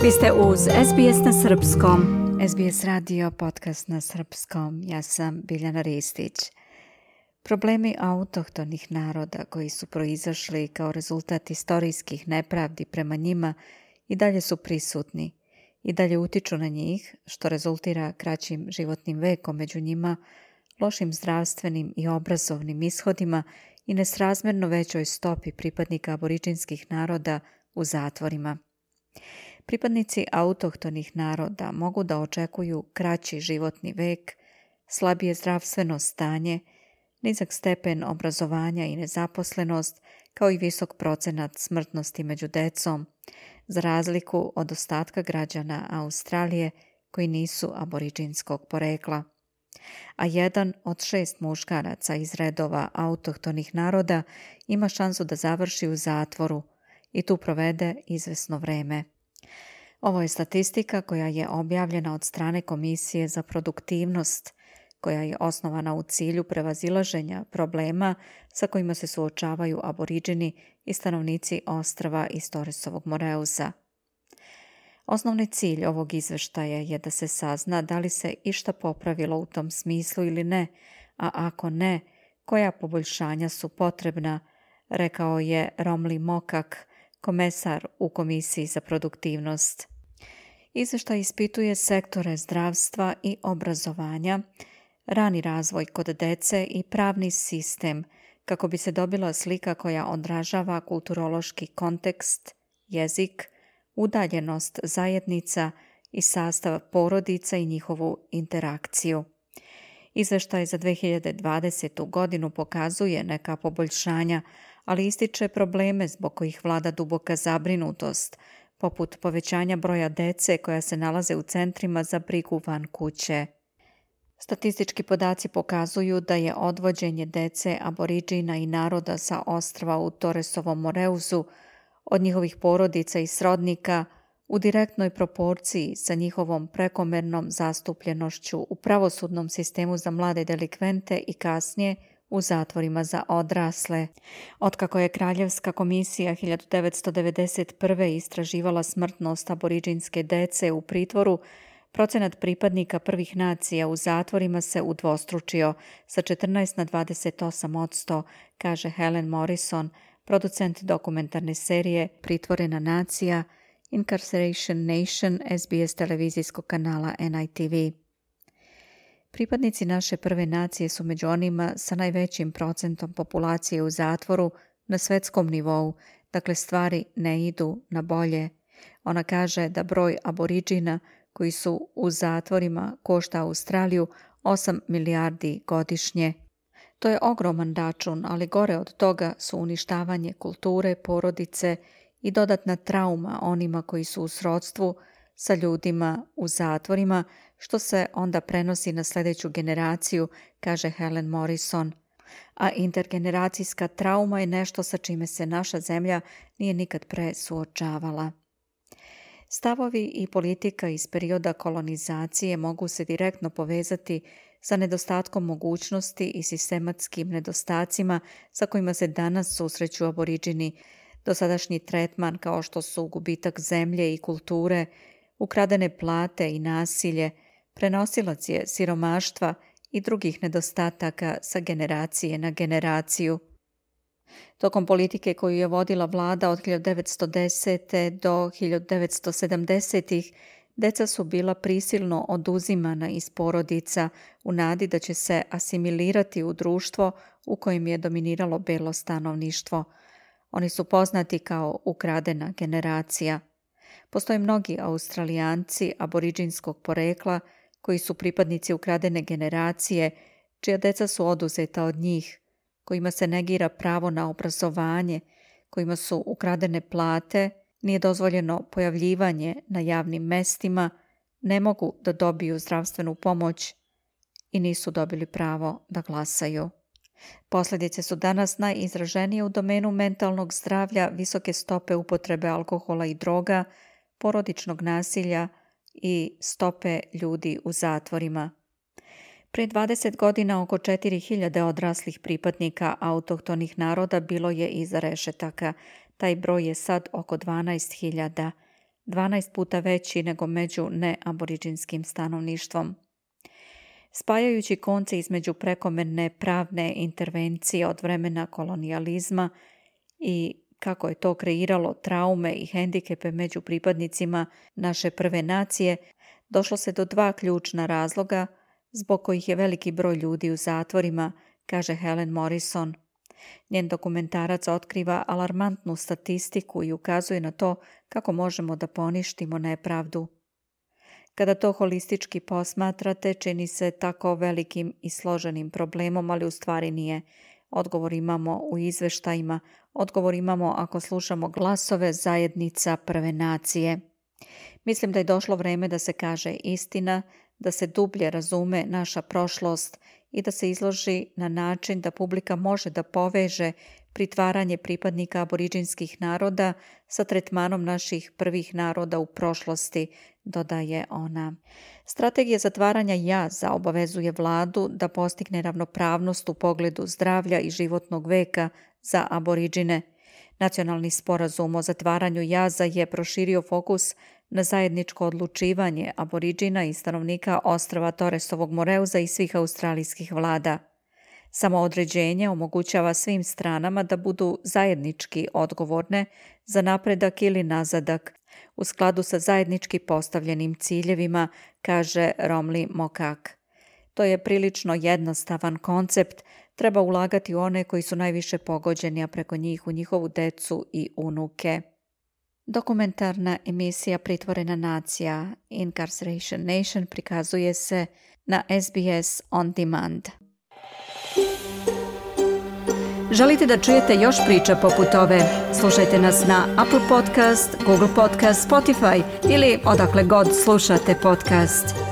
Vi ste uz SBS na srpskom. SBS radio, podcast na srpskom. Ja sam Biljana Ristić. Problemi autohtonih naroda koji su proizašli kao rezultat istorijskih nepravdi prema njima i dalje su prisutni. I dalje utiču na njih, što rezultira kraćim životnim vekom među njima, lošim zdravstvenim i obrazovnim ishodima i nesrazmjerno većoj stopi pripadnika aboriđinskih naroda u zatvorima. Pripadnici autohtonih naroda mogu da očekuju kraći životni vek, slabije zdravstveno stanje, nizak stepen obrazovanja i nezaposlenost, kao i visok procenat smrtnosti među decom, za razliku od ostatka građana Australije koji nisu aboriđinskog porekla. A 1 od 6 muškaraca iz redova autohtonih naroda ima šansu da završi u zatvoru i tu provede izvesno vreme. Ovo je statistika koja je objavljena od strane Komisije za produktivnost, koja je osnovana u cilju prevazilaženja problema sa kojima se suočavaju aboriđini i stanovnici ostrva iz Torresovog Moreusa. Osnovni cilj ovog izveštaja je da se sazna da li se išta popravilo u tom smislu ili ne, a ako ne, koja poboljšanja su potrebna, rekao je Romli Mokak, komesar u Komisiji za produktivnost. Izveštaj ispituje sektore zdravstva i obrazovanja, rani razvoj kod dece i pravni sistem, kako bi se dobila slika koja odražava kulturološki kontekst, jezik, udaljenost zajednica i sastav porodica i njihovu interakciju. Izveštaj za 2020. godinu pokazuje neka poboljšanja, ali ističe probleme zbog kojih vlada duboka zabrinutost, poput povećanja broja dece koja se nalaze u centrima za brigu van kuće. Statistički podaci pokazuju da je odvođenje dece aboriđina i naroda sa ostrva u Torresovom Moreusu od njihovih porodica i srodnika u direktnoj proporciji sa njihovom prekomernom zastupljenošću u pravosudnom sistemu za mlade delikvente i kasnije u zatvorima za odrasle. Otkako je Kraljevska komisija 1991. istraživala smrtnost aboriđinske dece u pritvoru, procenat pripadnika prvih nacija u zatvorima se udvostručio sa 14 na 28%, kaže Helen Morrison, producent dokumentarne serije Pritvorena nacija, Incarceration Nation, SBS televizijskog kanala NITV. Pripadnici naše prve nacije su među onima sa najvećim procentom populacije u zatvoru na svetskom nivou, dakle stvari ne idu na bolje. Ona kaže da broj aboriđina koji su u zatvorima košta Australiju 8 milijardi godišnje. To je ogroman račun, ali gore od toga su uništavanje kulture, porodice i dodatna trauma onima koji su u srodstvu sa ljudima u zatvorima, što se onda prenosi na sljedeću generaciju, kaže Helen Morrison. A intergeneracijska trauma je nešto sa čime se naša zemlja nije nikad pre suočavala. Stavovi i politika iz perioda kolonizacije mogu se direktno povezati sa nedostatkom mogućnosti i sistematskim nedostacima sa kojima se danas susreću aboriđini. Dosadašnji tretman kao što su gubitak zemlje i kulture, ukradene plate i nasilje, prenosilac je siromaštva i drugih nedostataka sa generacije na generaciju. Tokom politike koju je vodila vlada od 1910. do 1970. deca su bila prisilno oduzimana iz porodica u nadi da će se asimilirati u društvo u kojem je dominiralo belo stanovništvo. Oni su poznati kao ukradena generacija. Postoje mnogi Australijanci aboriđinskog porekla koji su pripadnici ukradene generacije, čija deca su oduzeta od njih, kojima se negira pravo na obrazovanje, kojima su ukradene plate, nije dozvoljeno pojavljivanje na javnim mestima, ne mogu da dobiju zdravstvenu pomoć i nisu dobili pravo da glasaju. Posljedice su danas najizraženije u domenu mentalnog zdravlja, visoke stope upotrebe alkohola i droga, porodičnog nasilja i stope ljudi u zatvorima. Pre 20 godina oko 4000 odraslih pripadnika autohtonih naroda bilo je iza rešetaka. Taj broj je sad oko 12.000. 12 puta veći nego među neaboriđinskim stanovništvom. Spajajući konce između prekomerne pravne intervencije od vremena kolonijalizma i kako je to kreiralo traume i hendikepe među pripadnicima naše prve nacije, došlo se do 2 ključna razloga zbog kojih je veliki broj ljudi u zatvorima, kaže Helen Morrison. Njen dokumentarac otkriva alarmantnu statistiku i ukazuje na to kako možemo da poništimo nepravdu. Kada to holistički posmatrate, čini se tako velikim i složenim problemom, ali u stvari nije. Odgovor imamo u izveštajima, odgovor imamo ako slušamo glasove zajednica prve nacije. Mislim da je došlo vreme da se kaže istina, da se dublje razume naša prošlost i da se izloži na način da publika može da poveže pritvaranje pripadnika aboriđinskih naroda sa tretmanom naših prvih naroda u prošlosti, dodaje ona. Strategija zatvaranja jaza obavezuje vladu da postigne ravnopravnost u pogledu zdravlja i životnog veka za aboriđine. Nacionalni sporazum o zatvaranju jaza je proširio fokus na zajedničko odlučivanje aboriđina i stanovnika ostrva Torresovog Moreuza i svih australijskih vlada. Samoodređenje omogućava svim stranama da budu zajednički odgovorne za napredak ili nazadak u skladu sa zajednički postavljenim ciljevima, kaže Romli Mokak. To je prilično jednostavan koncept, treba ulagati u one koji su najviše pogođeni, a preko njih u njihovu decu i unuke. Dokumentarna emisija Pritvorena nacija Incarceration Nation prikazuje se na SBS On Demand. Želite da čujete još priča poput ove? Slušajte nas na Apple Podcast, Google Podcast, Spotify ili odakle god slušate podcast.